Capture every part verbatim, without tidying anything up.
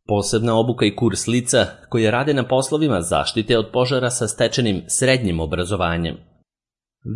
Posebna obuka i kurs lica koje rade na poslovima zaštite od požara sa stečenim srednjim obrazovanjem.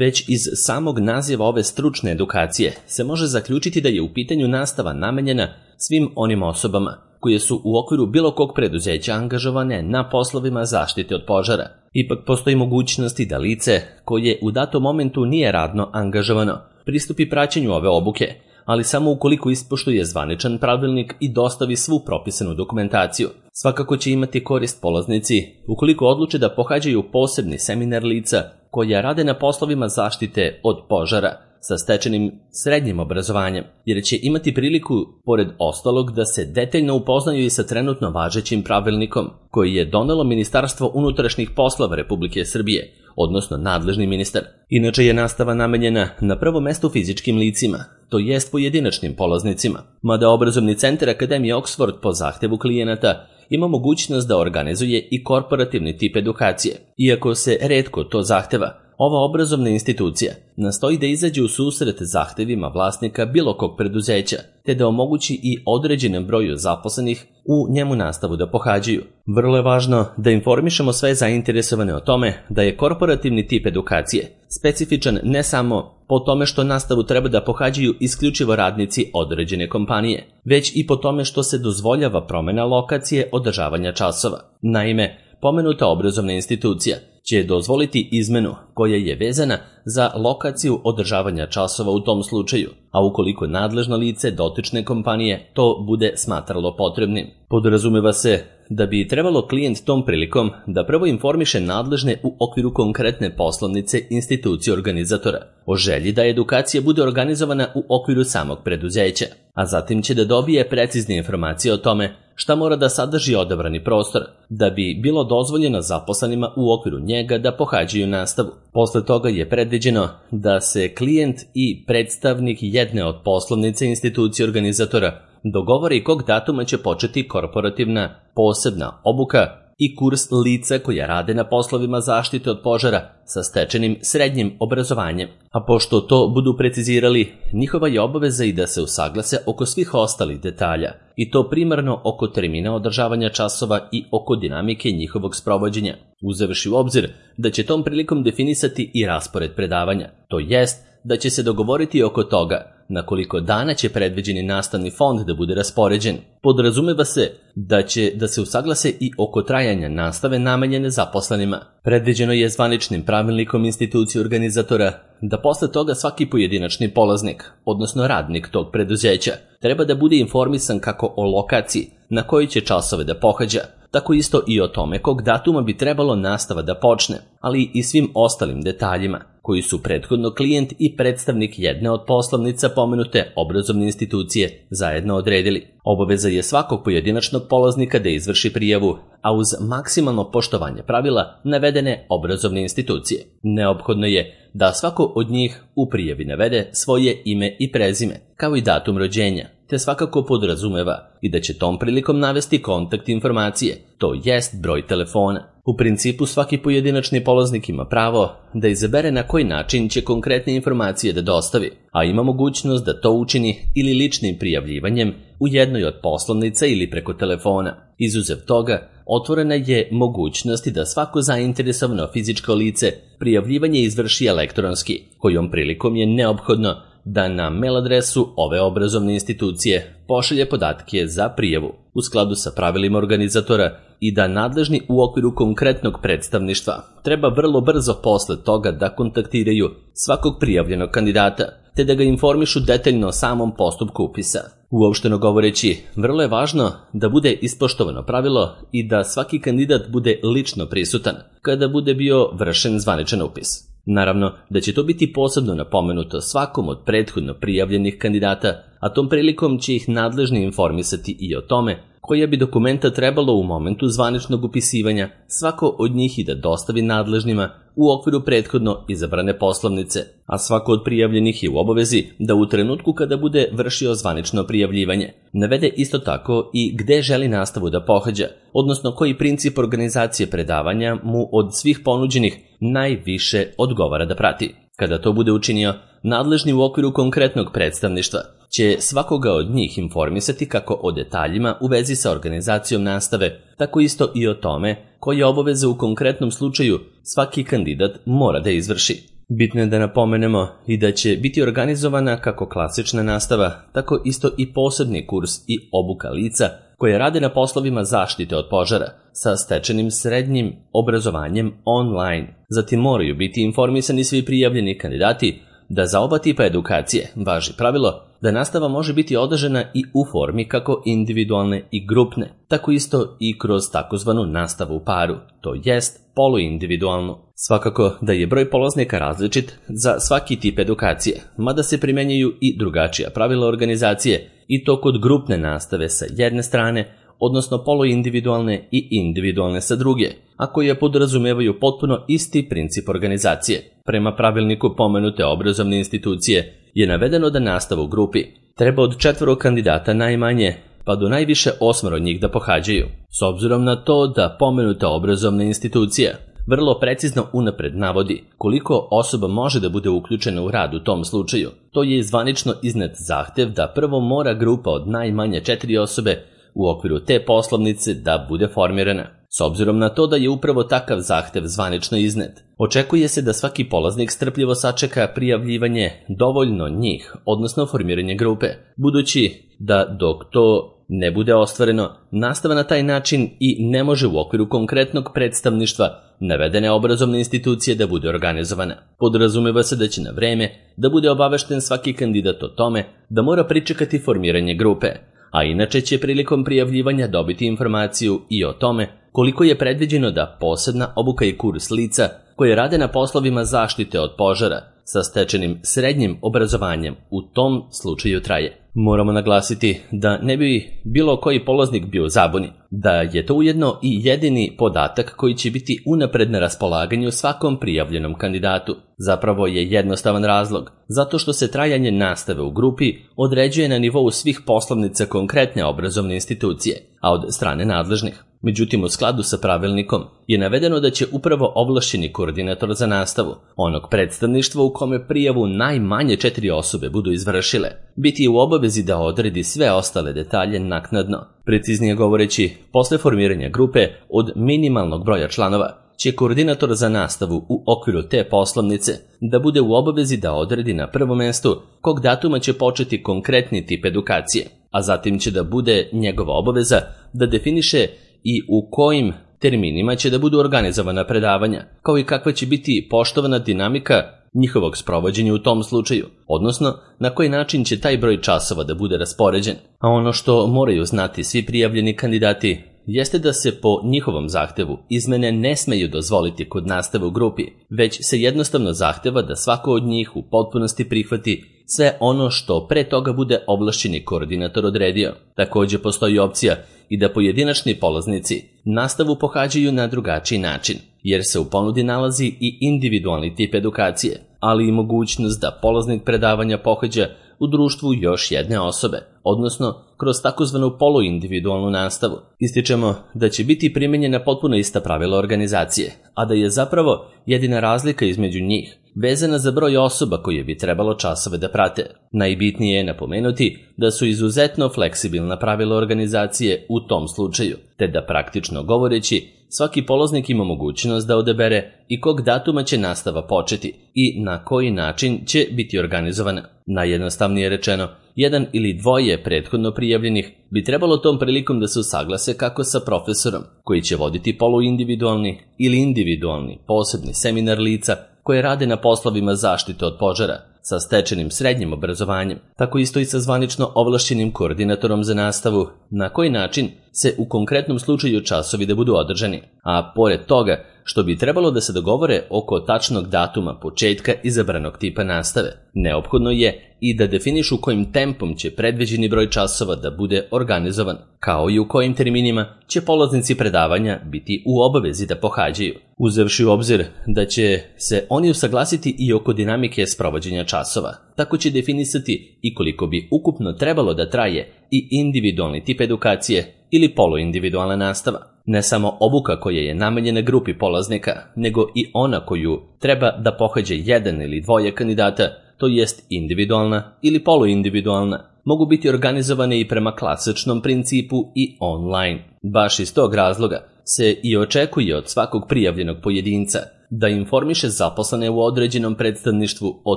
Već iz samog naziva ove stručne edukacije se može zaključiti da je u pitanju nastava namenjena svim onim osobama koje su u okviru bilo kog preduzeća angažovane na poslovima zaštite od požara. Ipak postoji mogućnosti da lice koje u datom momentu nije radno angažovano pristupi praćenju ove obuke, ali samo ukoliko ispoštuje zvaničan pravilnik i dostavi svu propisanu dokumentaciju. Svakako će imati korist polaznici ukoliko odluče da pohađaju posebni seminar lica koja rade na poslovima zaštite od požara sa stečenim srednjim obrazovanjem, jer će imati priliku, pored ostalog, da se detaljno upoznaju i sa trenutno važećim pravilnikom koji je donelo Ministarstvo unutrašnjih poslova Republike Srbije, odnosno nadležni ministar. Inače je nastava namenjena na prvo mesto fizičkim licima, to jest pojedinačnim polaznicima, mada obrazovni centar Akademije Oxford po zahtevu klijenata ima mogućnost da organizuje i korporativni tip edukacije. Iako se retko to zahteva, ova obrazovna institucija nastoji da izađe u susret zahtevima vlasnika bilo kog preduzeća, te da omogući i određenom broju zaposlenih u njemu nastavu da pohađaju. Vrlo je važno da informišemo sve zainteresovane o tome da je korporativni tip edukacije specifičan ne samo po tome što nastavu treba da pohađaju isključivo radnici određene kompanije, već i po tome što se dozvoljava promena lokacije održavanja časova. Naime, pomenuta obrazovna institucija će dozvoliti izmenu koja je vezana za lokaciju održavanja časova u tom slučaju, a ukoliko nadležno lice dotične kompanije to bude smatralo potrebnim. Podrazumeva se da bi trebalo klijent tom prilikom da prvo informiše nadležne u okviru konkretne poslovnice institucije organizatora o želji da edukacija bude organizovana u okviru samog preduzeća, a zatim će da dobije precizne informacije o tome šta mora da sadrži odabrani prostor da bi bilo dozvoljeno zaposlenima u okviru njega da pohađaju nastavu. Posle toga je predviđeno da se klijent i predstavnik jedne od poslovnice institucije organizatora dogovori kog datuma će početi korporativna posebna obuka i kurs lica koja rade na poslovima zaštite od požara sa stečenim srednjim obrazovanjem. A pošto to budu precizirali, njihova je obaveza i da se usaglase oko svih ostalih detalja, i to primarno oko termina održavanja časova i oko dinamike njihovog sprovođenja, uzevši u obzir da će tom prilikom definisati i raspored predavanja, to jest da će se dogovoriti oko toga na koliko dana će predviđeni nastavni fond da bude raspoređen. Podrazumeva se da će da se usaglase i oko trajanja nastave namenjene zaposlenima. Predviđeno je zvaničnim pravilnikom institucije organizatora da posle toga svaki pojedinačni polaznik, odnosno radnik tog preduzeća, treba da bude informisan kako o lokaciji na koji će časove da pohađa, tako isto i o tome kog datuma bi trebalo nastava da počne, ali i svim ostalim detaljima koji su prethodno klijent i predstavnik jedne od poslovnica pomenute obrazovne institucije zajedno odredili. Obaveza je svakog pojedinačnog polaznika da izvrši prijavu, a uz maksimalno poštovanje pravila navedene obrazovne institucije. Neophodno je da svako od njih u prijavi navede svoje ime i prezime, kao i datum rođenja, te svakako podrazumeva i da će tom prilikom navesti kontakt informacije, to jest broj telefona. U principu svaki pojedinačni polaznik ima pravo da izabere na koji način će konkretne informacije da dostavi, a ima mogućnost da to učini ili ličnim prijavljivanjem u jednoj od poslovnica ili preko telefona. Izuzev toga, otvorena je mogućnost da svako zainteresovano fizičko lice prijavljivanje izvrši elektronski, kojom prilikom je neophodno da na mail adresu ove obrazovne institucije pošalje podatke za prijavu u skladu sa pravilima organizatora i da nadležni u okviru konkretnog predstavništva treba vrlo brzo posle toga da kontaktiraju svakog prijavljenog kandidata, te da ga informišu detaljno o samom postupku upisa. Uopšteno govoreći, vrlo je važno da bude ispoštovano pravilo i da svaki kandidat bude lično prisutan kada bude bio vršen zvaničan upis. Naravno da će to biti posebno napomenuto svakom od prethodno prijavljenih kandidata, a tom prilikom će ih nadležni informisati i o tome koja bi dokumenta trebalo u momentu zvaničnog upisivanja svako od njih i da dostavi nadležnima u okviru prethodno izabrane poslovnice, a svako od prijavljenih je u obavezi da u trenutku kada bude vršio zvanično prijavljivanje navede isto tako i gde želi nastavu da pohađa, odnosno koji princip organizacije predavanja mu od svih ponuđenih najviše odgovara da prati. Kada to bude učinio, nadležni u okviru konkretnog predstavništva će svakoga od njih informisati kako o detaljima u vezi sa organizacijom nastave, tako isto i o tome koje obaveze u konkretnom slučaju svaki kandidat mora da izvrši. Bitno je da napomenemo i da će biti organizovana kako klasična nastava, tako isto i posebni kurs i obuka lica koje rade na poslovima zaštite od požara sa stečenim srednjim obrazovanjem online. Zatim moraju biti informisani svi prijavljeni kandidati da za oba tipa edukacije važi pravilo da nastava može biti održana i u formi kako individualne i grupne, tako isto i kroz takozvanu nastavu u paru, to jest poluindividualnu. Svakako da je broj polaznika različit za svaki tip edukacije, mada se primenjuju i drugačija pravila organizacije i to kod grupne nastave sa jedne strane, odnosno poluindividualne i individualne sa druge, a koje podrazumevaju potpuno isti princip organizacije. Prema pravilniku pomenute obrazovne institucije je navedeno da nastavu u grupi treba od četvoro kandidata najmanje pa do najviše osmoro njih da pohađaju. S obzirom na to da pomenuta obrazovna institucija vrlo precizno unapred navodi koliko osoba može da bude uključena u rad u tom slučaju, to je zvanično iznet zahtev da prvo mora grupa od najmanje četiri osobe u okviru te poslovnice da bude formirana. S obzirom na to da je upravo takav zahtev zvanično iznet, očekuje se da svaki polaznik strpljivo sačeka prijavljivanje dovoljno njih, odnosno formiranje grupe, budući da dok to ne bude ostvareno, nastava na taj način i ne može u okviru konkretnog predstavništva navedene obrazovne institucije da bude organizovana. Podrazumeva se da će na vreme da bude obavešten svaki kandidat o tome da mora pričekati formiranje grupe, a inače će prilikom prijavljivanja dobiti informaciju i o tome koliko je predviđeno da posebna obuka i kurs lica koje rade na poslovima zaštite od požara sa stečenim srednjim obrazovanjem u tom slučaju traje. Moramo naglasiti da ne bi bilo koji polaznik bio u zabuni, da je to ujedno i jedini podatak koji će biti unapred na raspolaganju svakom prijavljenom kandidatu. Zapravo je jednostavan razlog, zato što se trajanje nastave u grupi određuje na nivou svih poslovnica konkretne obrazovne institucije, a od strane nadležnih. Međutim, u skladu sa pravilnikom je navedeno da će upravo ovlašćeni koordinator za nastavu onog predstavništva u kome prijavu najmanje četiri osobe budu izvršile, biti u obavezi da odredi sve ostale detalje naknadno. Preciznije govoreći, posle formiranja grupe od minimalnog broja članova će koordinator za nastavu u okviru te poslovnice da bude u obavezi da odredi na prvom mestu kog datuma će početi konkretni tip edukacije, a zatim će da bude njegova obaveza da definiše i u kojim terminima će da budu organizovana predavanja, kao i kakva će biti poštovana dinamika njihovog sprovođenja u tom slučaju, odnosno na koji način će taj broj časova da bude raspoređen. A ono što moraju znati svi prijavljeni kandidati jeste da se po njihovom zahtevu izmene ne smeju dozvoliti kod nastave u grupi, već se jednostavno zahteva da svako od njih u potpunosti prihvati sve ono što pre toga bude ovlašćeni koordinator odredio. Takođe postoji opcija i da pojedinačni polaznici nastavu pohađaju na drugačiji način, jer se u ponudi nalazi i individualni tip edukacije, ali i mogućnost da polaznik predavanja pohađa u društvu još jedne osobe, odnosno kroz takozvanu poluindividualnu nastavu. Ističemo da će biti primenjena potpuno ista pravila organizacije, a da je zapravo jedina razlika između njih vezana za broj osoba koje bi trebalo časove da prate. Najbitnije je napomenuti da su izuzetno fleksibilna pravila organizacije u tom slučaju, te da praktično govoreći svaki polaznik ima mogućnost da odabere i kog datuma će nastava početi i na koji način će biti organizovana. Najjednostavnije rečeno, jedan ili dvoje prethodno prijavljenih bi trebalo tom prilikom da se usaglase kako sa profesorom, koji će voditi poluindividualni ili individualni posebni seminar lica koje rade na poslovima zaštite od požara sa stečenim srednjim obrazovanjem, tako isto i sa zvanično ovlašćenim koordinatorom za nastavu, na koji način se u konkretnom slučaju časovi da budu održani. A pored toga, što bi trebalo da se dogovore oko tačnog datuma početka izabranog tipa nastave, neophodno je i da definišu kojim tempom će predviđeni broj časova da bude organizovan, kao i u kojim terminima će polaznici predavanja biti u obavezi da pohađaju, uzevši u obzir da će se oni usaglasiti i oko dinamike sprovođenja časova. Tako će definisati i koliko bi ukupno trebalo da traje i individualni tip edukacije ili poluindividualna nastava. Ne samo obuka koja je namenjena grupi polaznika, nego i ona koju treba da pohađa jedan ili dvoje kandidata, to jest individualna ili poluindividualna, mogu biti organizovane i prema klasičnom principu i online. Baš iz tog razloga se i očekuje od svakog prijavljenog pojedinca da informiše zaposlene u određenom predstavništvu o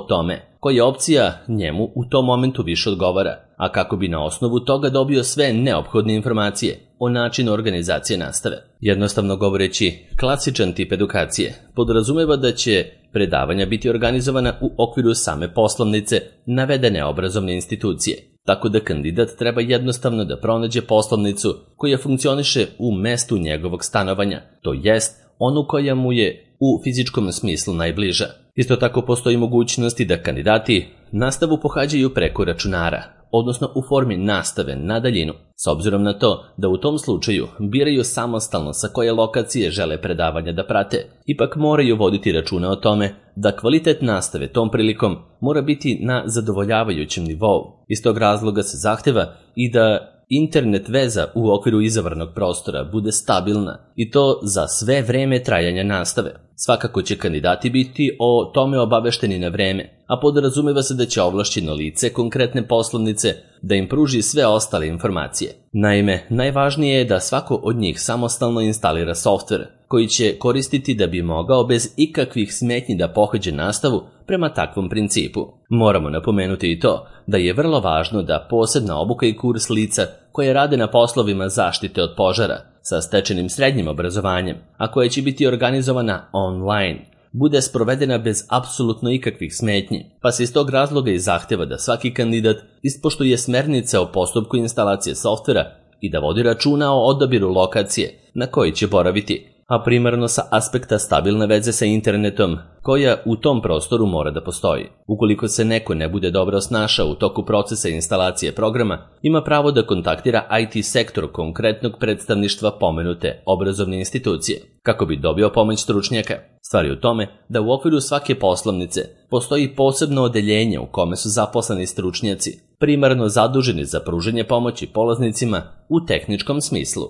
tome koja opcija njemu u tom momentu više odgovara, a kako bi na osnovu toga dobio sve neophodne informacije o načinu organizacije nastave. Jednostavno govoreći, klasičan tip edukacije podrazumeva da će predavanja biti organizovana u okviru same poslovnice navedene obrazovne institucije, tako da kandidat treba jednostavno da pronađe poslovnicu koja funkcioniše u mestu njegovog stanovanja, to jest onu koja mu je u fizičkom smislu najbliža. Isto tako postoji mogućnosti da kandidati nastavu pohađaju preko računara, odnosno u formi nastave na daljinu, s obzirom na to da u tom slučaju biraju samostalno sa koje lokacije žele predavanja da prate. Ipak moraju voditi računa o tome da kvalitet nastave tom prilikom mora biti na zadovoljavajućem nivou. Iz tog razloga se zahteva i da internet veza u okviru izabranog prostora bude stabilna i to za sve vreme trajanja nastave. Svakako će kandidati biti o tome obavešteni na vreme, a podrazumeva se da će ovlašćeno lice konkretne poslovnice da im pruži sve ostale informacije. Naime, najvažnije je da svako od njih samostalno instalira softver koji će koristiti da bi mogao bez ikakvih smetnji da pohađa nastavu prema takvom principu. Moramo napomenuti i to da je vrlo važno da posebna obuka i kurs lica koje rade na poslovima zaštite od požara sa stečenim srednjim obrazovanjem, a koja će biti organizovana online, bude sprovedena bez apsolutno ikakvih smetnji, pa se iz tog razloga i zahteva da svaki kandidat ispoštuje smernice o postupku instalacije softvera i da vodi računa o odabiru lokacije na kojoj će boraviti, a primarno sa aspekta stabilne veze sa internetom koja u tom prostoru mora da postoji. Ukoliko se neko ne bude dobro snašao u toku procesa instalacije programa, ima pravo da kontaktira I T sektor konkretnog predstavništva pomenute obrazovne institucije, kako bi dobio pomoć stručnjaka. Stvar je u tome da u okviru svake poslovnice postoji posebno odeljenje u kome su zaposleni stručnjaci, primarno zaduženi za pružanje pomoći polaznicima u tehničkom smislu.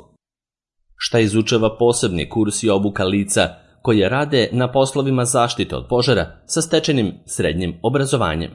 Šta izučava posebni kurs i obuka lica koje rade na poslovima zaštite od požara sa stečenim srednjim obrazovanjem?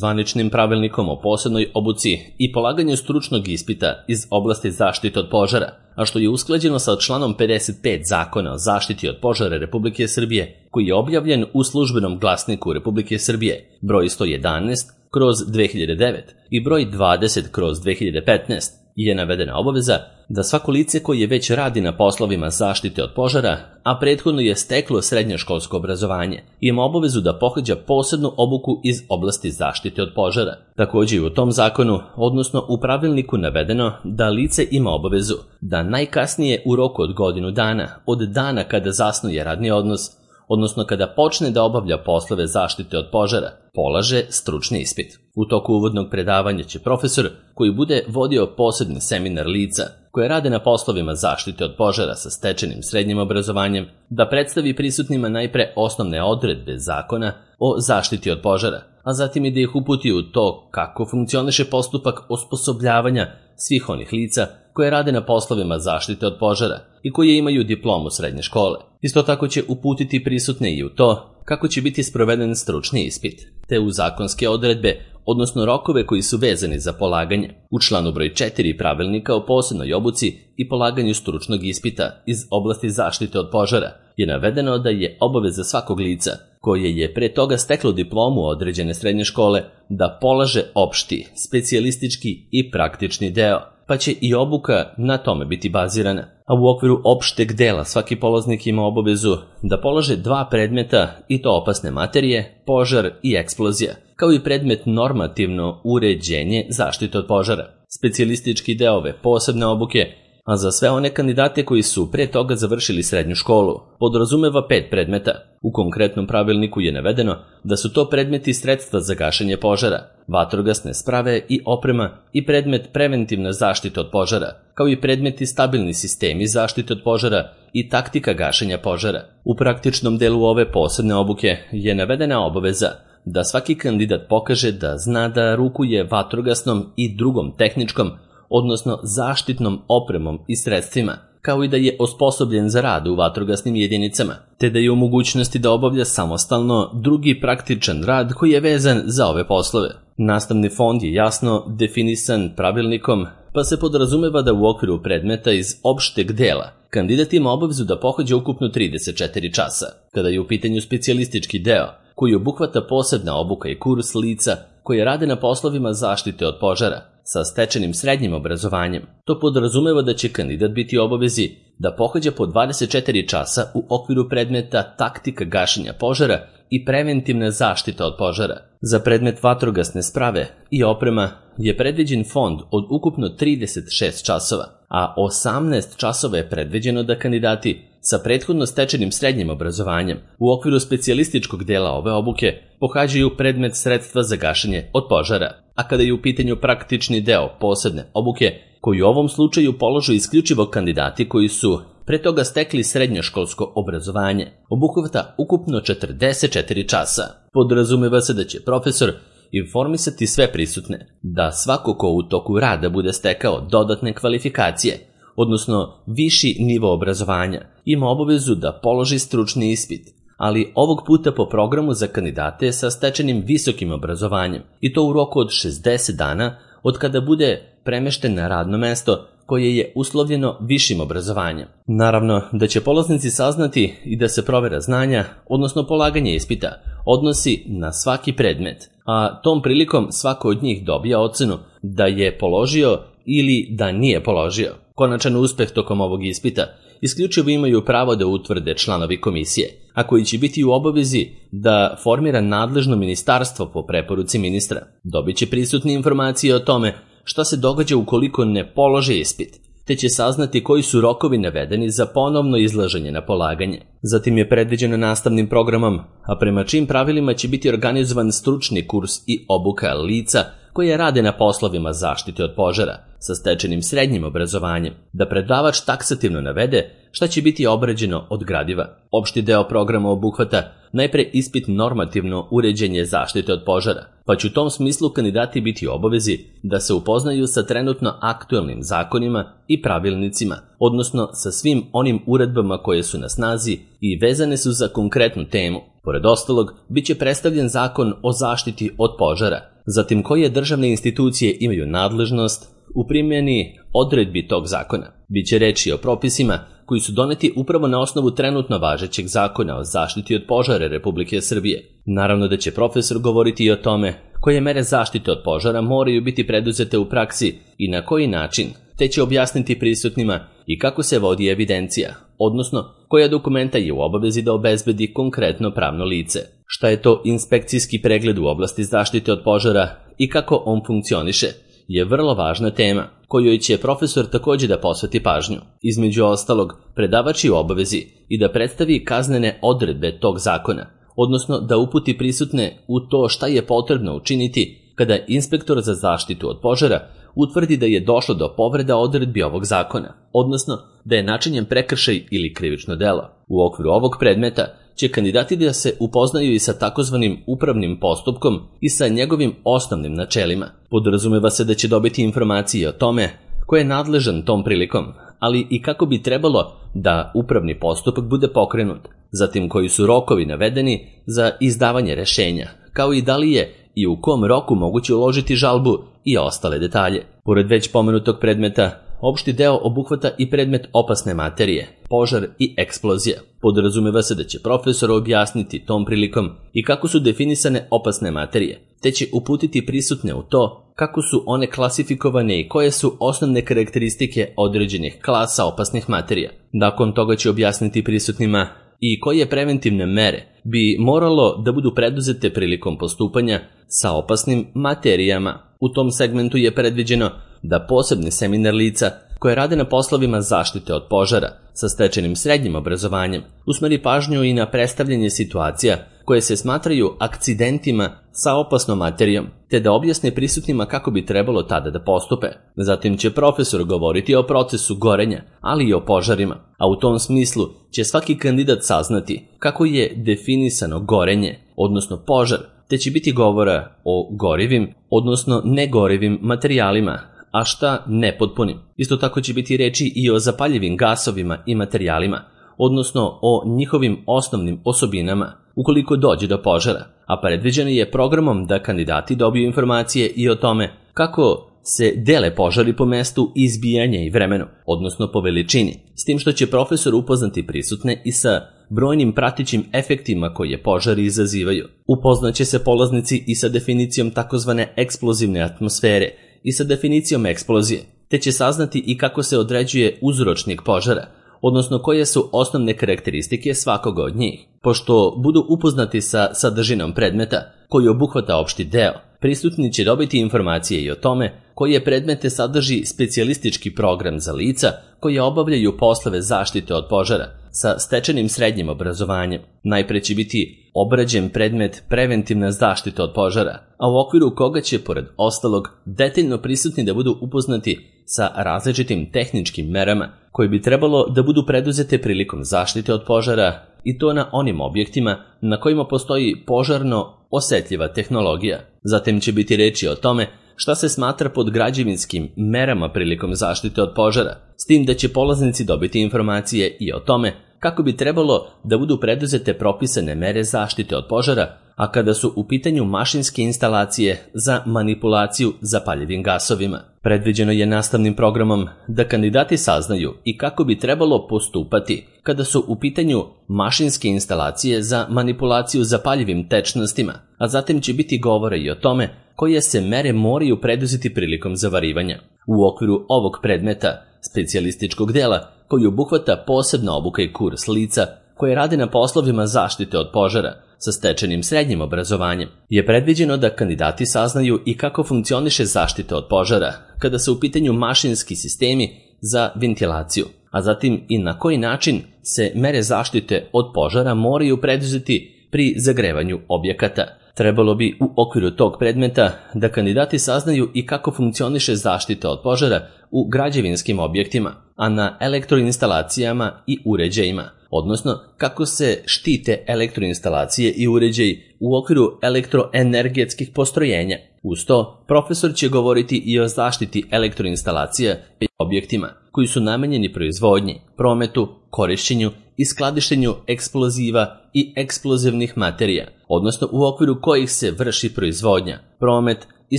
Zvaničnim pravilnikom o posebnoj obuci i polaganju stručnog ispita iz oblasti zaštite od požara, a što je usklađeno sa članom pedeset pet Zakona o zaštiti od požara Republike Srbije, koji je objavljen u Službenom glasniku Republike Srbije broj sto jedanaest kroz dve hiljade devet i broj dvadeset kroz dve hiljade petnaest, je navedena obaveza da svako lice koje već radi na poslovima zaštite od požara, a prethodno je steklo srednjoškolsko obrazovanje, ima obavezu da pohađa posebnu obuku iz oblasti zaštite od požara. Također je u tom zakonu, odnosno u pravilniku, navedeno da lice ima obavezu da najkasnije u roku od godinu dana od dana kada zasnuje radni odnos, odnosno kada počne da obavlja poslove zaštite od požara, polaže stručni ispit. U toku uvodnog predavanja će profesor, koji bude vodio posebni seminar lica koje rade na poslovima zaštite od požara sa stečenim srednjim obrazovanjem, da predstavi prisutnima najpre osnovne odredbe zakona o zaštiti od požara, a zatim i da ih uputi u to kako funkcioniše postupak osposobljavanja svih onih lica koje rade na poslovima zaštite od požara i koje imaju diplomu srednje škole. Isto tako će uputiti prisutne i u to kako će biti sproveden stručni ispit, te u zakonske odredbe, odnosno rokove koji su vezani za polaganje. U članu broj četiri Pravilnika o posebnoj obuci i polaganju stručnog ispita iz oblasti zaštite od požara je navedeno da je obaveza svakog lica koje je pre toga steklo diplomu određene srednje škole da polaže opšti, specijalistički i praktični deo, pa će i obuka na tome biti bazirana. A u okviru opšteg dela svaki polaznik ima obavezu da polaže dva predmeta, i to opasne materije, požar i eksplozija, kao i predmet normativno uređenje zaštite od požara. Specijalistički deo ove posebne obuke, a za sve one kandidate koji su pre toga završili srednju školu, podrazumeva pet predmeta. U konkretnom pravilniku je navedeno da su to predmeti sredstva za gašenje požara, vatrogasne sprave i oprema i predmet preventivna zaštita od požara, kao i predmeti stabilni sistemi zaštite od požara i taktika gašenja požara. U praktičnom delu ove posebne obuke je navedena obaveza da svaki kandidat pokaže da zna da rukuje vatrogasnom i drugom tehničkom, odnosno zaštitnom opremom i sredstvima, kao i da je osposobljen za rad u vatrogasnim jedinicama, te da je u mogućnosti da obavlja samostalno drugi praktičan rad koji je vezan za ove poslove. Nastavni fond je jasno definisan pravilnikom, pa se podrazumeva da u okviru predmeta iz opšteg dela kandidat ima obavezu da pohađa ukupno trideset četiri časa. Kada je u pitanju specijalistički deo, koji obuhvata posebna obuka i kurs lica koje rade na poslovima zaštite od požara sa stečenim srednjim obrazovanjem, to podrazumeva da će kandidat biti u obavezi da pohađa po dvadeset četiri časa u okviru predmeta taktika gašenja požara i preventivna zaštita od požara. Za predmet vatrogasne sprave i oprema je predviđen fond od ukupno trideset šest časova, a osamnaest časova je predviđeno da kandidati sa prethodno stečenim srednjim obrazovanjem u okviru specijalističkog dela ove obuke pohađaju predmet sredstva za gašenje od požara, a kada je u pitanju praktični deo posebne obuke, koji u ovom slučaju položu isključivo kandidati koji su pre toga stekli srednjoškolsko obrazovanje, obuhvata ukupno četrdeset četiri časa. Podrazumeva se da će profesor informisati sve prisutne da svako ko u toku rada bude stekao dodatne kvalifikacije, odnosno viši nivo obrazovanja, ima obavezu da položi stručni ispit, ali ovog puta po programu za kandidate sa stečenim visokim obrazovanjem, i to u roku od šezdeset dana od kada bude premešten na radno mesto koje je uslovljeno višim obrazovanjem. Naravno da će polaznici saznati i da se provera znanja, odnosno polaganje ispita, odnosi na svaki predmet, a tom prilikom svako od njih dobija ocenu da je položio ili da nije položio. Konačan uspeh tokom ovog ispita isključivo imaju pravo da utvrde članovi komisije, a koji će biti u obavezi da formira nadležno ministarstvo po preporuci ministra. Dobit će prisutne informacije o tome šta se događa ukoliko ne polože ispit, te će saznati koji su rokovi navedeni za ponovno izlaženje na polaganje. Zatim je predviđeno nastavnim programom, a prema čim pravilima će biti organizovan stručni kurs i obuka lica koje rade na poslovima zaštite od požara sa stečenim srednjim obrazovanjem, da predavač taksativno navede šta će biti obrađeno od gradiva. Opšti deo programa obuhvata najpre ispit normativno uređenje zaštite od požara, pa će u tom smislu kandidati biti u obavezi da se upoznaju sa trenutno aktuelnim zakonima i pravilnicima, odnosno sa svim onim uredbama koje su na snazi i vezane su za konkretnu temu. Pored ostalog, bit će predstavljen zakon o zaštiti od požara, zatim koje državne institucije imaju nadležnost u primjeni odredbi tog zakona. Biće reči o propisima koji su doneti upravo na osnovu trenutno važećeg zakona o zaštiti od požara Republike Srbije. Naravno da će profesor govoriti i o tome koje mere zaštite od požara moraju biti preduzete u praksi i na koji način, te će objasniti prisutnima i kako se vodi evidencija, odnosno koja dokumenta je u obavezi da obezbedi konkretno pravno lice. Šta je to inspekcijski pregled u oblasti zaštite od požara i kako on funkcioniše, je vrlo važna tema, kojoj će profesor također da posveti pažnju. Između ostalog, predavač je u obavezi i da predstavi kaznene odredbe tog zakona, odnosno da uputi prisutne u to šta je potrebno učiniti kada inspektor za zaštitu od požara utvrdi da je došlo do povreda odredbi ovog zakona, odnosno da je načinjen prekršaj ili krivično delo. U okviru ovog predmeta će kandidati da se upoznaju i sa takozvanim upravnim postupkom i sa njegovim osnovnim načelima. Podrazumeva se da će dobiti informacije o tome ko je nadležan tom prilikom, ali i kako bi trebalo da upravni postupak bude pokrenut, zatim koji su rokovi navedeni za izdavanje rešenja, kao i da li je i u kom roku moguće uložiti žalbu i ostale detalje. Pored već pomenutog predmeta, opšti deo obuhvata i predmet opasne materije, požar i eksplozija. Podrazumeva se da će profesor objasniti tom prilikom i kako su definisane opasne materije, te će uputiti prisutne u to kako su one klasifikovane i koje su osnovne karakteristike određenih klasa opasnih materija. Nakon toga će objasniti prisutnima i koje preventivne mere bi moralo da budu preduzete prilikom postupanja sa opasnim materijama. U tom segmentu je predviđeno da posebni seminar lica koje rade na poslovima zaštite od požara sa stečenim srednjim obrazovanjem usmeri pažnju i na predstavljanje situacija koje se smatraju akcidentima sa opasnom materijom, te da objasne prisutnima kako bi trebalo tada da postupe. Zatim će profesor govoriti o procesu gorenja, ali i o požarima, a u tom smislu će svaki kandidat saznati kako je definisano gorenje, odnosno požar, te će biti govora o gorivim, odnosno negorivim materijalima, a šta nepotpunim. Isto tako će biti reči i o zapaljivim gasovima i materijalima, odnosno o njihovim osnovnim osobinama ukoliko dođe do požara, a predviđeno je programom da kandidati dobiju informacije i o tome kako se dele požari po mestu izbijanja i vremenu, odnosno po veličini, s tim što će profesor upoznati prisutne i sa brojnim pratećim efektima koje požari izazivaju. Upoznaće se polaznici i sa definicijom takozvane eksplozivne atmosfere i sa definicijom eksplozije, te će saznati i kako se određuje uzročnik požara, odnosno koje su osnovne karakteristike svakoga od njih. Pošto budu upoznati sa sadržinom predmeta koji obuhvata opšti deo, prisutni će dobiti informacije i o tome koje predmete sadrži specijalistički program za lica koje obavljaju poslove zaštite od požara sa stečenim srednjim obrazovanjem. Najpre će biti obrađen predmet preventivna zaštita od požara, a u okviru koga će, pored ostalog, detaljno prisutni da budu upoznati sa različitim tehničkim merama koje bi trebalo da budu preduzete prilikom zaštite od požara, i to na onim objektima na kojima postoji požarno osetljiva tehnologija. Zatim će biti reči o tome šta se smatra pod građevinskim merama prilikom zaštite od požara, s tim da će polaznici dobiti informacije i o tome kako bi trebalo da budu preduzete propisane mere zaštite od požara, a kada su u pitanju mašinske instalacije za manipulaciju zapaljivim gasovima. Predviđeno je nastavnim programom da kandidati saznaju i kako bi trebalo postupati kada su u pitanju mašinske instalacije za manipulaciju zapaljivim tečnostima, a zatim će biti govora i o tome koje se mere moraju preduzeti prilikom zavarivanja. U okviru ovog predmeta, specijalističkog dela, koji obuhvata posebna obuka i kurs lica koje rade na poslovima zaštite od požara sa stečenim srednjim obrazovanjem, je predviđeno da kandidati saznaju i kako funkcioniše zaštita od požara kada su u pitanju mašinski sistemi za ventilaciju, a zatim i na koji način se mere zaštite od požara moraju preduzeti pri zagrevanju objekata. Trebalo bi u okviru tog predmeta da kandidati saznaju i kako funkcioniše zaštita od požara u građevinskim objektima, a na elektroinstalacijama i uređajima, odnosno kako se štite elektroinstalacije i uređaji u okviru elektroenergetskih postrojenja. Uz to, profesor će govoriti i o zaštiti elektroinstalacija i objektima koji su namenjeni proizvodnji, prometu, korišćenju i skladištenju eksploziva i eksplozivnih materija, odnosno u okviru kojih se vrši proizvodnja, promet i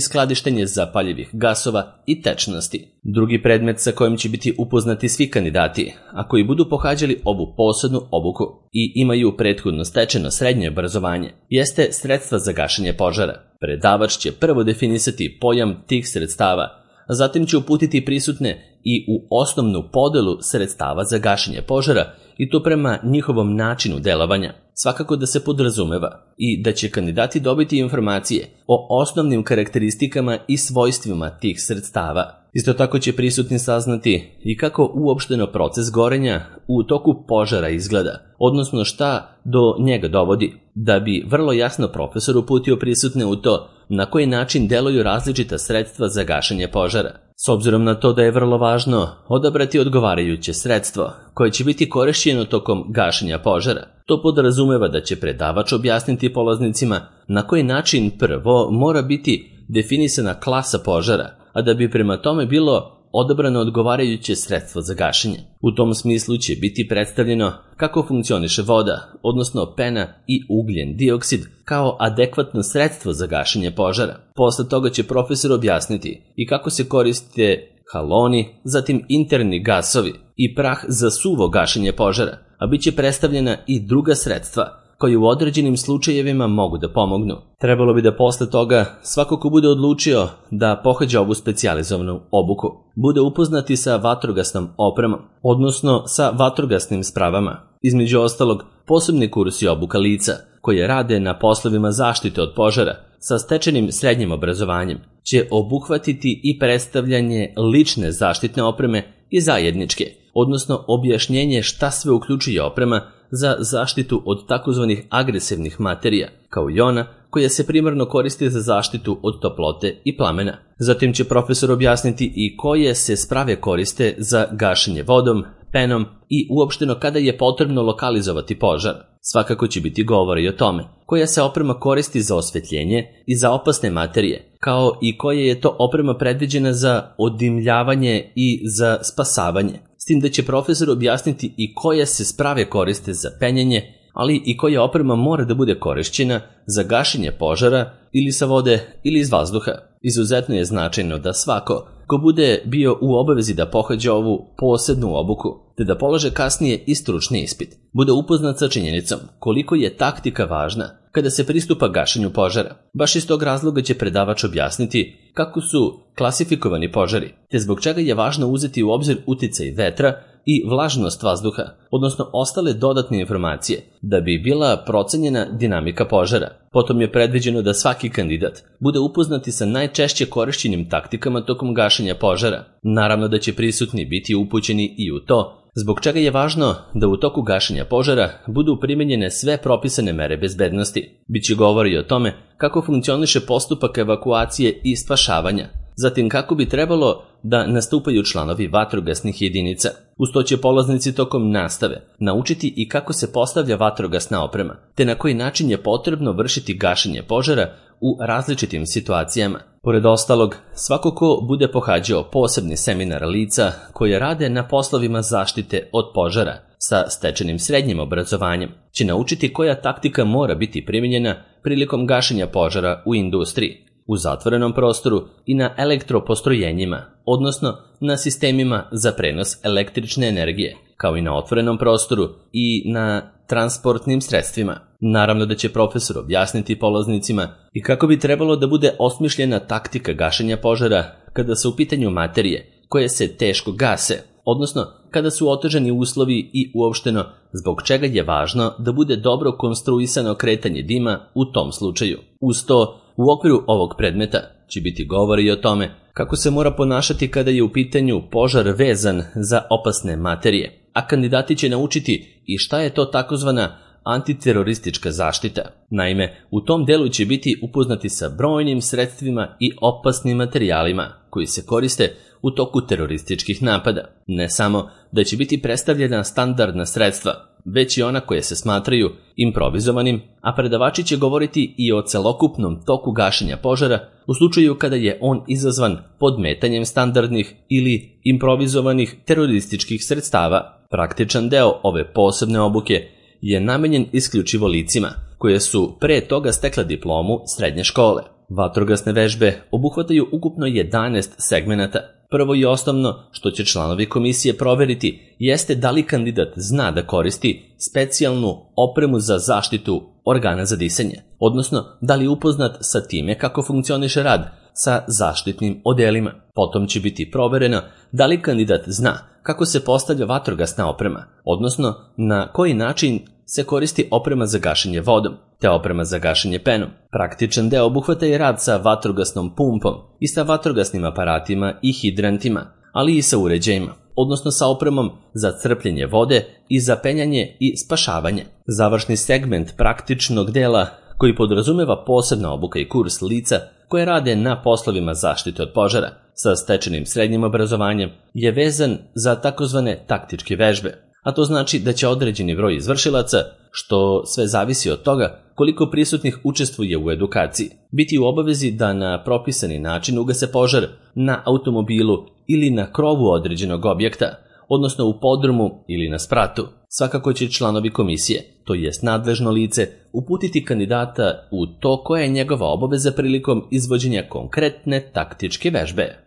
skladištenje zapaljivih gasova i tečnosti. Drugi predmet sa kojim će biti upoznati svi kandidati, a koji budu pohađali ovu posebnu obuku i imaju prethodno stečeno srednje obrazovanje, jeste sredstva za gašenje požara. Predavač će prvo definisati pojam tih sredstava, a zatim će uputiti prisutne i u osnovnu podelu sredstava za gašenje požara, i to prema njihovom načinu delovanja. Svakako da se podrazumeva i da će kandidati dobiti informacije o osnovnim karakteristikama i svojstvima tih sredstava. Isto tako će prisutni saznati i kako uopšteno proces gorenja u toku požara izgleda, odnosno šta do njega dovodi, da bi vrlo jasno profesor uputio prisutne u to na koji način deluju različita sredstva za gašenje požara. S obzirom na to da je vrlo važno odabrati odgovarajuće sredstvo koje će biti korišćeno tokom gašenja požara, to podrazumeva da će predavač objasniti polaznicima na koji način prvo mora biti definisana klasa požara, a da bi prema tome bilo odabrano odgovarajuće sredstvo za gašenje. U tom smislu će biti predstavljeno kako funkcioniše voda, odnosno pena i ugljen dioksid, kao adekvatno sredstvo za gašenje požara. Posle toga će profesor objasniti i kako se koriste haloni, zatim interni gasovi i prah za suvo gašenje požara, a bit će predstavljena i druga sredstva koji u određenim slučajevima mogu da pomognu. Trebalo bi da posle toga svako ko bude odlučio da pohađa ovu specijalizovanu obuku bude upoznati sa vatrogasnom opremom, odnosno sa vatrogasnim spravama. Između ostalog, posebni kursi obuka lica koje rade na poslovima zaštite od požara sa stečenim srednjim obrazovanjem će obuhvatiti i predstavljanje lične zaštitne opreme i zajedničke, odnosno objašnjenje šta sve uključuje oprema za zaštitu od takozvanih agresivnih materija, kao i ona koja se primarno koristi za zaštitu od toplote i plamena. Zatim će profesor objasniti i koje se sprave koriste za gašenje vodom, penom i uopšteno kada je potrebno lokalizovati požar. Svakako će biti govora i o tome koja se oprema koristi za osvetljenje i za opasne materije, kao i koja je to oprema predviđena za odimljavanje i za spasavanje, s tim da će profesor objasniti i koje se sprave koriste za penjanje, ali i koja oprema mora da bude korišćena za gašenje požara ili sa vode ili iz vazduha. Izuzetno je značajno da svako ko bude bio u obavezi da pohađa ovu posebnu obuku, te da polaže kasnije i stručni ispit, bude upoznat sa činjenicom koliko je taktika važna kada se pristupa gašenju požara. Baš iz tog razloga će predavač objasniti kako su klasifikovani požari, te zbog čega je važno uzeti u obzir uticaj vetra i vlažnost vazduha, odnosno ostale dodatne informacije, da bi bila procenjena dinamika požara. Potom je predviđeno da svaki kandidat bude upoznati sa najčešće korišćenim taktikama tokom gašenja požara. Naravno da će prisutni biti upućeni i u to, zbog čega je važno da u toku gašenja požara budu primenjene sve propisane mere bezbednosti. Biće govori o tome kako funkcioniše postupak evakuacije i spašavanja, zatim kako bi trebalo da nastupaju članovi vatrogasnih jedinica. Uz to će polaznici tokom nastave naučiti i kako se postavlja vatrogasna oprema, te na koji način je potrebno vršiti gašenje požara u različitim situacijama. Pored ostalog, svako ko bude pohađao posebni seminar lica koje rade na poslovima zaštite od požara sa stečenim srednjim obrazovanjem, će naučiti koja taktika mora biti primijenjena prilikom gašenja požara u industriji, u zatvorenom prostoru i na elektropostrojenjima, odnosno na sistemima za prenos električne energije, kao i na otvorenom prostoru i na transportnim sredstvima. Naravno da će profesor objasniti polaznicima i kako bi trebalo da bude osmišljena taktika gašenja požara kada su u pitanju materije koje se teško gase, odnosno kada su otežani uslovi i uopšteno zbog čega je važno da bude dobro konstruisano kretanje dima u tom slučaju. Uz to, u okviru ovog predmeta će biti govori o tome kako se mora ponašati kada je u pitanju požar vezan za opasne materije, a kandidati će naučiti i šta je to takozvana antiteroristička zaštita. Naime, u tom delu će biti upoznati sa brojnim sredstvima i opasnim materijalima koji se koriste u toku terorističkih napada. Ne samo da će biti predstavljena standardna sredstva, već i ona koje se smatraju improvizovanim, a predavači će govoriti i o celokupnom toku gašenja požara u slučaju kada je on izazvan podmetanjem standardnih ili improvizovanih terorističkih sredstava. Praktičan deo ove posebne obuke je namenjen isključivo licima koje su pre toga stekla diplomu srednje škole. Vatrogasne vežbe obuhvataju ukupno jedanaest segmenata. Prvo i osnovno što će članovi komisije proveriti jeste da li kandidat zna da koristi specijalnu opremu za zaštitu organa za disanje, odnosno da li je upoznat sa time kako funkcioniše rad sa zaštitnim odelima. Potom će biti provereno da li kandidat zna kako se postavlja vatrogasna oprema, odnosno na koji način se koristi oprema za gašenje vodom, te oprema za gašenje penom. Praktičan deo obuhvata i rad sa vatrogasnom pumpom i sa vatrogasnim aparatima i hidrantima, ali i sa uređajima, odnosno sa opremom za crpljenje vode i za penjanje i spašavanje. Završni segment praktičnog dela koji podrazumeva posebna obuka i kurs lica koje rade na poslovima zaštite od požara sa stečenim srednjim obrazovanjem je vezan za takozvane taktičke vežbe, a to znači da će određeni broj izvršilaca, što sve zavisi od toga koliko prisutnih učestvuje u edukaciji, biti u obavezi da na propisani način ugase požar na automobilu ili na krovu određenog objekta, odnosno u podrumu ili na spratu. Svakako će članovi komisije, to jest nadležno lice, uputiti kandidata u to koja je njegova obaveza prilikom izvođenja konkretne taktičke vežbe.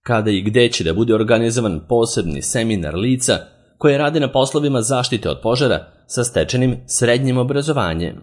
Kada i gde će da bude organizovan posebni seminar lica koje rade na poslovima zaštite od požara sa stečenim srednjim obrazovanjem.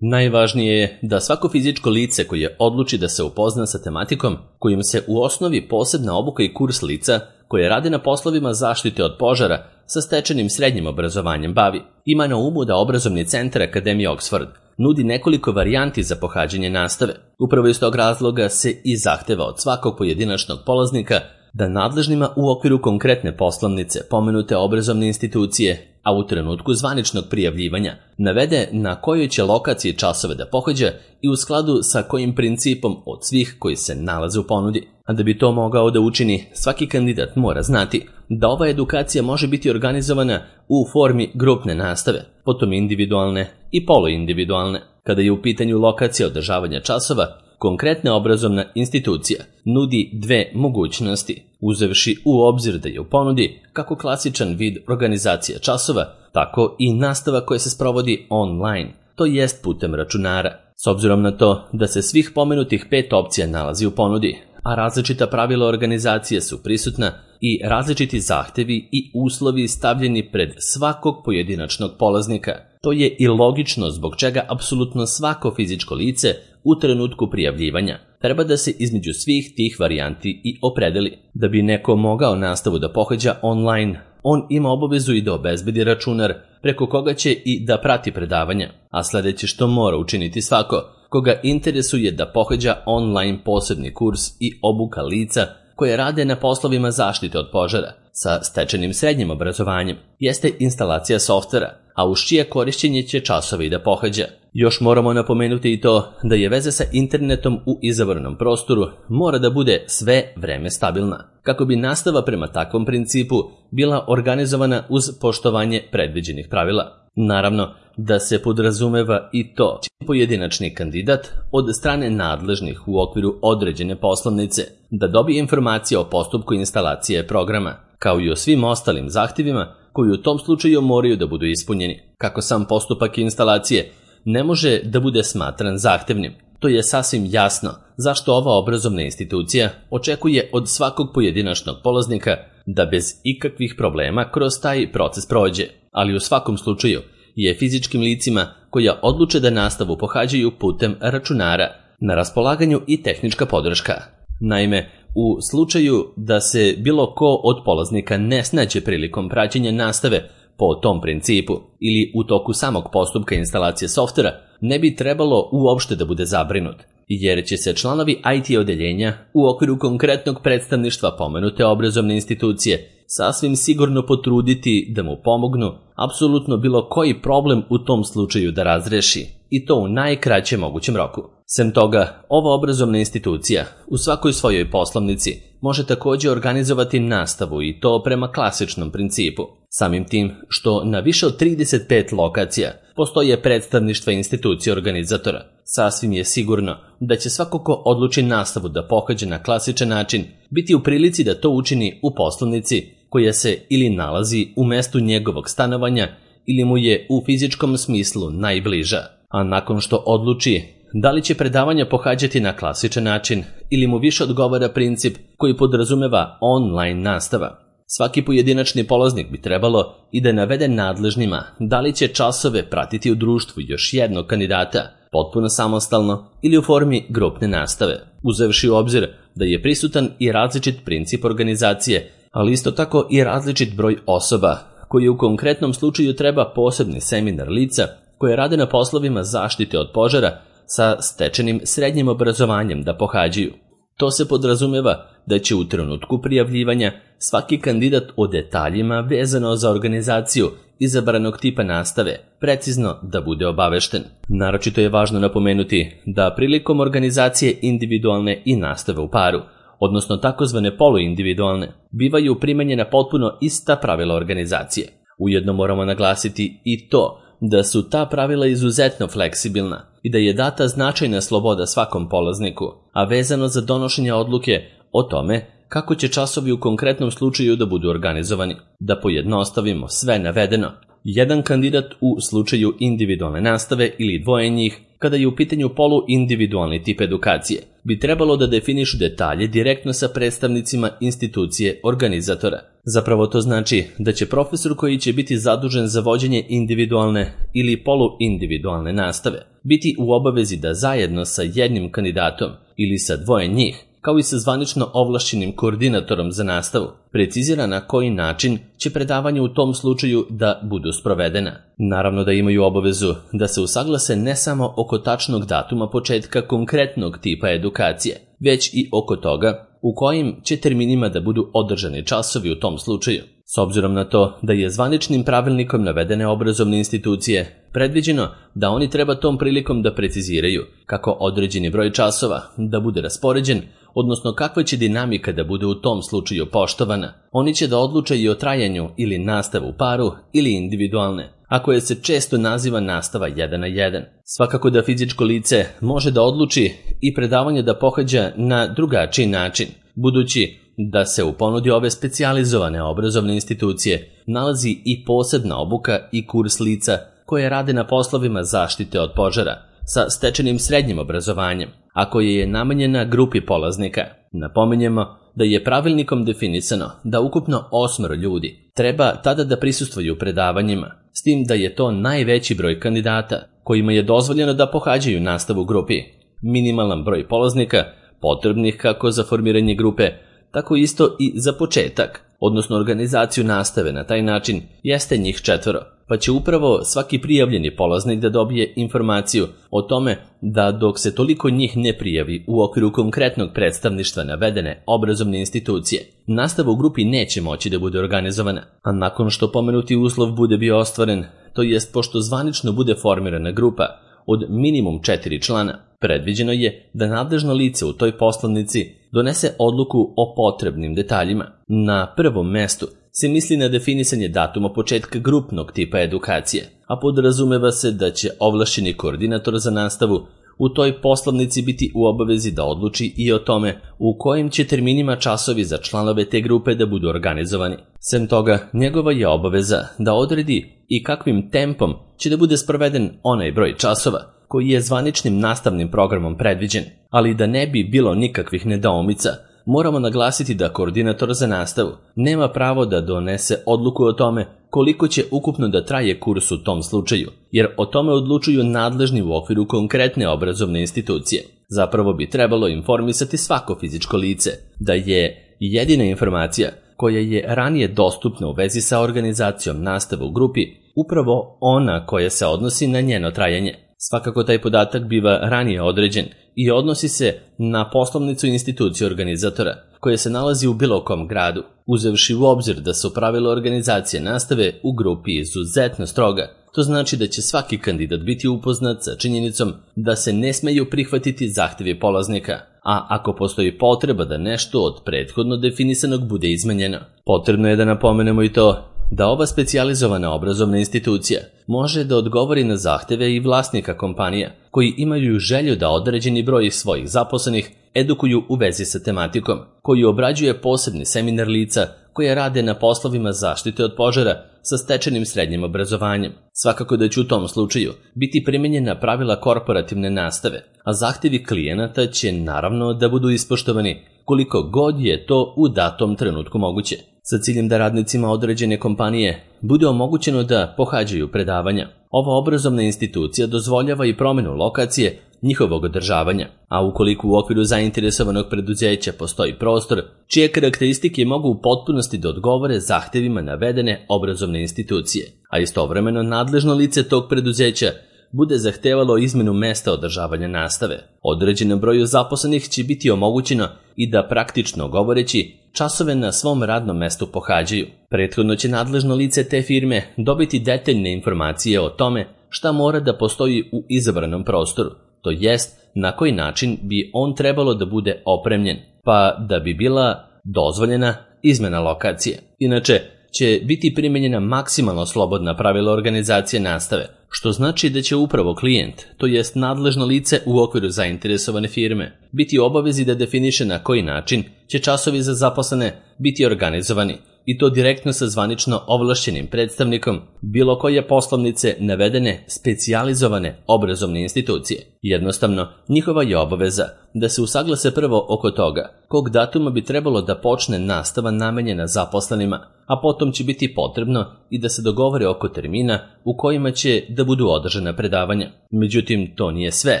Najvažnije je da svako fizičko lice koje odluči da se upozna sa tematikom kojim se u osnovi posebna obuka i kurs lica koje rade na poslovima zaštite od požara sa stečenim srednjim obrazovanjem bavi, ima na umu da obrazovni centar Akademije Oxford nudi nekoliko varijanti za pohađanje nastave. Upravo iz tog razloga se i zahteva od svakog pojedinačnog polaznika da nadležnima u okviru konkretne poslovnice pomenute obrazovne institucije, a u trenutku zvaničnog prijavljivanja, navede na kojoj će lokaciji časove da pohađa i u skladu sa kojim principom od svih koji se nalaze u ponudi. A da bi to mogao da učini, svaki kandidat mora znati da ova edukacija može biti organizovana u formi grupne nastave, potom individualne i poluindividualne. Kada je u pitanju lokacija održavanja časova, konkretna obrazovna institucija nudi dve mogućnosti, uzevši u obzir da je u ponudi kako klasičan vid organizacije časova, tako i nastava koja se sprovodi online, to jest putem računara. S obzirom na to da se svih pomenutih pet opcija nalazi u ponudi, a različita pravila organizacije su prisutna i različiti zahtevi i uslovi stavljeni pred svakog pojedinačnog polaznika, to je i logično zbog čega apsolutno svako fizičko lice u trenutku prijavljivanja treba da se između svih tih varijanti i opredeli. Da bi neko mogao nastavu da pohađa online, on ima obavezu i da obezbedi računar preko koga će i da prati predavanja, a sledeće što mora učiniti svako koga interesuje da pohađa online posebni kurs i obuka lica koje rade na poslovima zaštite od požara sa stečenim srednjim obrazovanjem jeste instalacija softvera, a uz čije korišćenje će časove i da pohađa. Još moramo napomenuti i to da je veza sa internetom u izabranom prostoru mora da bude sve vreme stabilna, kako bi nastava prema takvom principu bila organizovana uz poštovanje predviđenih pravila. Naravno da se podrazumeva i to će pojedinačni kandidat od strane nadležnih u okviru određene poslovnice da dobije informacije o postupku instalacije programa, kao i o svim ostalim zahtjevima koji u tom slučaju moraju da budu ispunjeni. Kako sam postupak instalacije ne može da bude smatran zahtevnim, to je sasvim jasno zašto ova obrazovna institucija očekuje od svakog pojedinačnog polaznika da bez ikakvih problema kroz taj proces prođe, ali u svakom slučaju je fizičkim licima koja odluče da nastavu pohađaju putem računara na raspolaganju i tehnička podrška. Naime, u slučaju da se bilo ko od polaznika ne snađe prilikom praćenja nastave po tom principu ili u toku samog postupka instalacije softvera, ne bi trebalo uopšte da bude zabrinut, jer će se članovi I T odeljenja u okviru konkretnog predstavništva pomenute obrazovne institucije sasvim sigurno potruditi da mu pomognu apsolutno bilo koji problem u tom slučaju da razreši, i to u najkraćem mogućem roku. Sem toga, ova obrazovna institucija u svakoj svojoj poslovnici može također organizovati nastavu i to prema klasičnom principu. Samim tim što na više od trideset pet lokacija postoje predstavništva institucije organizatora, sasvim je sigurno da će svako ko odluči nastavu da pohađa na klasičan način biti u prilici da to učini u poslovnici koja se ili nalazi u mestu njegovog stanovanja ili mu je u fizičkom smislu najbliža. A nakon što odluči da li će predavanja pohađati na klasičan način ili mu više odgovara princip koji podrazumeva online nastava, svaki pojedinačni polaznik bi trebalo i da navede nadležnima da li će časove pratiti u društvu još jednog kandidata, potpuno samostalno ili u formi grupne nastave, uzevši u obzir da je prisutan i različit princip organizacije, ali isto tako i različit broj osoba koji u konkretnom slučaju treba posebni seminar lica koje rade na poslovima zaštite od požara sa stečenim srednjim obrazovanjem da pohađaju. To se podrazumeva da će u trenutku prijavljivanja svaki kandidat o detaljima vezano za organizaciju izabranog tipa nastave precizno da bude obavešten. Naročito je važno napomenuti da prilikom organizacije individualne i nastave u paru, odnosno takozvane poluindividualne, bivaju primenjena potpuno ista pravila organizacije. Ujedno moramo naglasiti i to da su ta pravila izuzetno fleksibilna i da je data značajna sloboda svakom polazniku, a vezano za donošenje odluke o tome kako će časovi u konkretnom slučaju da budu organizovani. Da pojednostavimo sve navedeno, jedan kandidat u slučaju individualne nastave ili dvoje njih, kada je u pitanju poluindividualni tip edukacije, bi trebalo da definišu detalje direktno sa predstavnicima institucije organizatora. Zapravo to znači da će profesor koji će biti zadužen za vođenje individualne ili poluindividualne nastave biti u obavezi da zajedno sa jednim kandidatom ili sa dvoje njih, kao i sa zvanično ovlašćenim koordinatorom za nastavu, precizira na koji način će predavanje u tom slučaju da budu sprovedena. Naravno da imaju obavezu da se usaglase ne samo oko tačnog datuma početka konkretnog tipa edukacije, već i oko toga u kojim će terminima da budu održani časovi u tom slučaju. S obzirom na to da je zvaničnim pravilnikom navedene obrazovne institucije predviđeno da oni treba tom prilikom da preciziraju kako određeni broj časova da bude raspoređen odnosno kakva će dinamika da bude u tom slučaju poštovana. Oni će da odluče i o trajanju ili nastavu u paru ili individualne, a koje se često naziva nastava jedan na jedan. Svakako da fizičko lice može da odluči i predavanje da pohađa na drugačiji način, budući da se u ponudi ove specijalizovane obrazovne institucije nalazi i posebna obuka i kurs lica koje rade na poslovima zaštite od požara sa stečenim srednjim obrazovanjem, a koje je namenjena grupi polaznika. Napominjemo da je pravilnikom definisano da ukupno osmoro ljudi treba tada da prisustvuju predavanjima, s tim da je to najveći broj kandidata kojima je dozvoljeno da pohađaju nastavu u grupi. Minimalan broj polaznika potrebnih kako za formiranje grupe, tako isto i za početak, odnosno organizaciju nastave na taj način, jeste njih četvoro, pa će upravo svaki prijavljeni polaznik da dobije informaciju o tome da dok se toliko njih ne prijavi u okviru konkretnog predstavništva navedene obrazovne institucije, nastava u grupi neće moći da bude organizovana. A nakon što pomenuti uslov bude bio ostvaren, to jest pošto zvanično bude formirana grupa od minimum četiri člana, predviđeno je da nadležno lice u toj poslovnici donese odluku o potrebnim detaljima. Na prvom mestu se misli na definisanje datuma početka grupnog tipa edukacije, a podrazumeva se da će ovlašćeni koordinator za nastavu u toj poslovnici biti u obavezi da odluči i o tome u kojim će terminima časovi za članove te grupe da budu organizovani. Sem toga, njegova je obaveza da odredi i kakvim tempom će da bude sproveden onaj broj časova koji je zvaničnim nastavnim programom predviđen, ali da ne bi bilo nikakvih nedoumica, moramo naglasiti da koordinator za nastavu nema pravo da donese odluku o tome koliko će ukupno da traje kurs u tom slučaju, jer o tome odlučuju nadležni u okviru konkretne obrazovne institucije. Zapravo bi trebalo informisati svako fizičko lice da je jedina informacija koja je ranije dostupna u vezi sa organizacijom nastave u grupi upravo ona koja se odnosi na njeno trajanje. Svakako taj podatak biva ranije određen i odnosi se na poslovnicu institucije organizatora koja se nalazi u bilo kom gradu, uzevši u obzir da su pravila organizacije nastave u grupi izuzetno stroga. To znači da će svaki kandidat biti upoznat sa činjenicom da se ne smeju prihvatiti zahtevi polaznika, a ako postoji potreba da nešto od prethodno definisanog bude izmenjeno. Potrebno je da napomenemo i to da ova specijalizovana obrazovna institucija može da odgovori na zahteve i vlasnika kompanija koji imaju želju da određeni broj svojih zaposlenih edukuju u vezi sa tematikom, koju obrađuje posebni seminar lica koje rade na poslovima zaštite od požara sa stečenim srednjim obrazovanjem. Svakako da će u tom slučaju biti primenjena pravila korporativne nastave, a zahtevi klijenata će naravno da budu ispoštovani koliko god je to u datom trenutku moguće, sa ciljem da radnicima određene kompanije bude omogućeno da pohađaju predavanja. Ova obrazovna institucija dozvoljava i promenu lokacije njihovog održavanja, a ukoliko u okviru zainteresovanog preduzeća postoji prostor čije karakteristike mogu u potpunosti da odgovore zahtevima navedene obrazovne institucije, a istovremeno nadležno lice tog preduzeća bude zahtevalo izmenu mesta održavanja nastave, određenom broju zaposlenih će biti omogućeno i da praktično govoreći časove na svom radnom mestu pohađaju. Prethodno će nadležno lice te firme dobiti detaljne informacije o tome šta mora da postoji u izabranom prostoru, to jest na koji način bi on trebalo da bude opremljen, pa da bi bila dozvoljena izmena lokacije. Inače, će biti primenjena maksimalno slobodna pravila organizacije nastave, što znači da će upravo klijent, to jest nadležno lice u okviru zainteresovane firme, biti u obavezi da definiše na koji način će časovi za zaposlene biti organizovani, i to direktno sa zvanično ovlašćenim predstavnikom bilo koje poslovnice navedene specijalizovane obrazovne institucije. Jednostavno, njihova je obaveza da se usaglase prvo oko toga kog datuma bi trebalo da počne nastava namenjena zaposlenima, a potom će biti potrebno i da se dogovore oko termina u kojima će da budu održana predavanja. Međutim, to nije sve,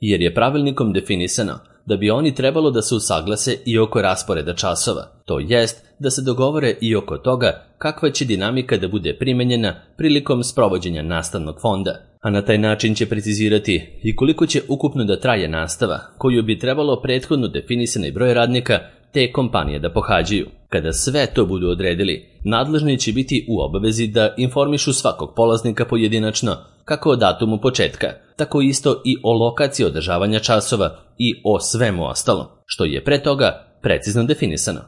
jer je pravilnikom definisano da bi oni trebalo da se usaglase i oko rasporeda časova, to jest da se dogovore i oko toga kakva će dinamika da bude primenjena prilikom sprovođenja nastavnog fonda, a na taj način će precizirati i koliko će ukupno da traje nastava, koju bi trebalo prethodno definisani broj radnika te kompanije da pohađaju. Kada sve to budu odredili, nadležni će biti u obavezi da informišu svakog polaznika pojedinačno kako o datumu početka, tako isto i o lokaciji održavanja časova i o svemu ostalom, što je pre toga precizno definisano.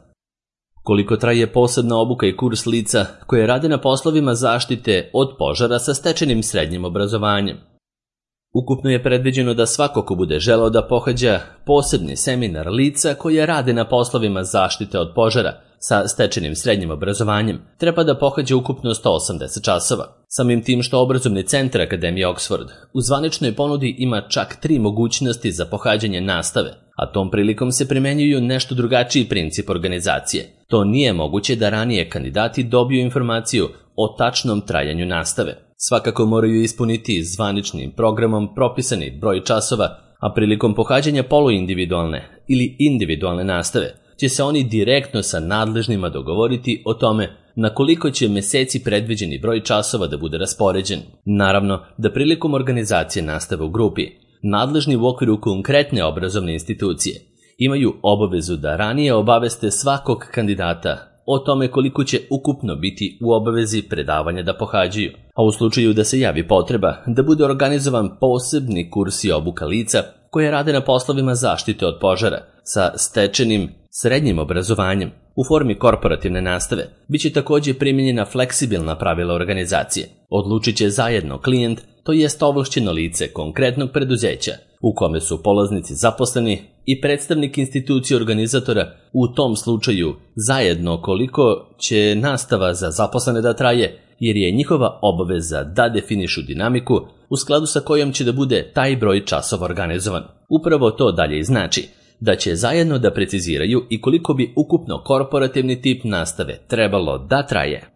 Koliko traje posebna obuka i kurs lica koje rade na poslovima zaštite od požara sa stečenim srednjim obrazovanjem? Ukupno je predviđeno da svako ko bude želeo da pohađa posebni seminar lica koje rade na poslovima zaštite od požara sa stečenim srednjim obrazovanjem treba da pohađa ukupno sto osamdeset časova. Samim tim što obrazovni centar Akademije Oxford u zvaničnoj ponudi ima čak tri mogućnosti za pohađanje nastave, a tom prilikom se primenjuju nešto drugačiji princip organizacije. To nije moguće da ranije kandidati dobiju informaciju o tačnom trajanju nastave. Svakako moraju ispuniti zvaničnim programom propisani broj časova, a prilikom pohađanja poluindividualne ili individualne nastave će se oni direktno sa nadležnima dogovoriti o tome na koliko će meseci predviđeni broj časova da bude raspoređen. Naravno da prilikom organizacije nastave u grupi, nadležni u okviru konkretne obrazovne institucije imaju obavezu da ranije obaveste svakog kandidata o tome koliko će ukupno biti u obavezi predavanja da pohađaju, a u slučaju da se javi potreba da bude organizovan posebni kurs i obuka lica koje rade na poslovima zaštite od požara sa stečenim srednjim obrazovanjem u formi korporativne nastave, bit će također primjenjena fleksibilna pravila organizacije. Odlučit će zajedno klijent, to jest ovlašćeno lice konkretnog preduzeća u kome su polaznici zaposleni i predstavnik institucije organizatora, u tom slučaju zajedno koliko će nastava za zaposlene da traje, jer je njihova obaveza da definišu dinamiku u skladu sa kojom će da bude taj broj časova organizovan. Upravo to dalje znači da će zajedno da preciziraju i koliko bi ukupno korporativni tip nastave trebalo da traje.